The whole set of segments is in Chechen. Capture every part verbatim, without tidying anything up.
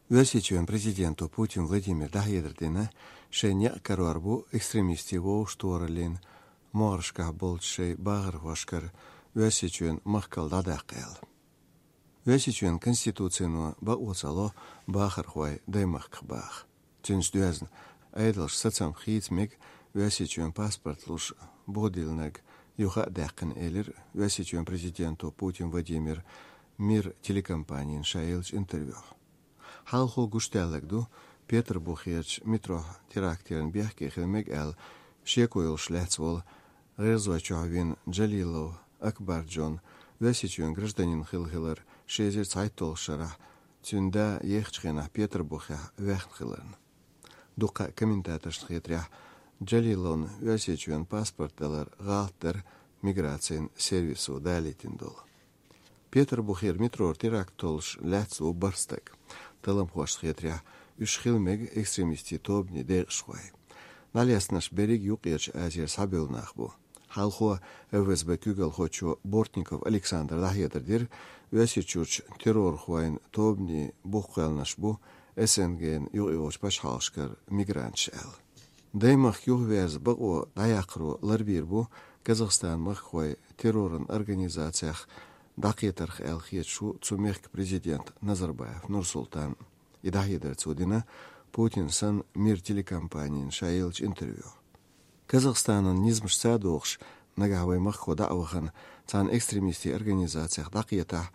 Оьрсийчоьнан президенто Путин Владимира дӀахьедар дина, шайн некъ карор бу экстремистийн вовшахтохараллин могӀарашкахь болчу шайн бахархошкара Оьрсийчоьнан махкал дӀадаккха аьлла. Оьрсийчоьнан конституцино бакъо ца ло бахархой даймахках баха. Цуьнца доьзна, Ӏедалша сацам хийца мега Оьрсийчоьнан паспорт луш бухдиллинарг юха а даьккхина, элира Оьрсийчоьнан президенто Путин Владимира «Мир» телекомпанина ша еллачу интервьюхь. Хьалхо гуш даьлларг ду Петарбухерчу метрохь теракт яран бехке хила мега аьлла шеко йолуш лаьцна волу гӀирзой чохь вина Джалилов Акбар Джон Оьрсийчоьнан гражданин хилла хилар ши эзар цхьайтталгӀачу шарахь, цуьнан да ехачу хенахь Петарбухехь ваьхна хиларна. Дуккха а комментаторшна хетарехь, Джалиловна Оьрсийчоьнан паспорт далар гӀалат дара миграцин сервисо далийтина долу. Петарбухера метрора теракт толлуш лаьцна ву бархӀ стаг. Талламхошна хетарехь, уьш хила мега экстремистийн тобанийн декъашхой. ДӀалецнарш берриг Юккъерчу Азера схьабевлла нах бу. Хьалхо ФСБ куьйгалхочо Бортников Александра дӀахьедар дира, Оьрсийчуьрчу террорхойн тобанийн бухкхоьллинарш бу СНГ-н юкъайогӀучу пачхьалкхашкара мигранташ аьлла. Даймахка юхаверза бакъо дӀаяккхаро ларбийр бу Казахстанан махкахой терроран организацех дӀакхетарх аьлла хеташ ву цу мехкан президент Назарбаев Нурсултан. И дӀахьедар цо дина Путин санна «Мир» телекомпанина ша еллачу интервьюхь. Казахстанан низамашца догӀуш, нагахь вай махкахо дӀа а вахана, царна экстремистийн организацех дӀакхетахь,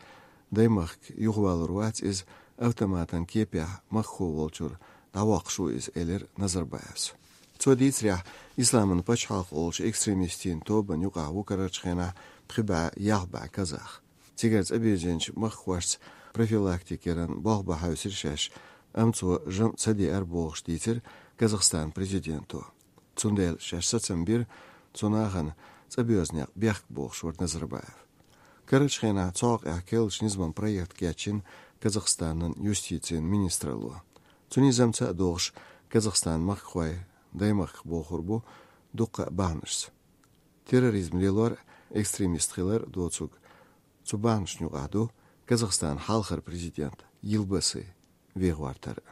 даймахка юхавалур вац иза, автоматан кепехь махкахо волчуьра дӀавоккхуш ву иза, элира Назарбаевс. Цо дийцарехь, Исламан пачхьалкх олучу экстремистийн тобанна юкъахь ву карарчу хенахь пхи бӀе ялх бӀе казах. Цигара цӀа бирзинчу махкахошца профилактика яран болх бан хьаьвсира шаьш, амма цо жамӀ ца деара бохуш дийцира Казахстанан президенто. Цундела шаьш сацам бира цу нахана цӀа боьзна некъ бехк бохуш вара Назарбаев. Карарчу хенахь цу хьокъехь керлачу низаман проект кечйина Казахстанан юстицин министралло. Цу низамца а догӀуш, Казахстанан махкахой даймахках бохур бу дуккха а бахьанашца. Терроризм лелор, экстремист хилар доцург, цу бахьанашна юкъахь ду Казахстанан хьалхара президент Йылбасы вен гӀортар.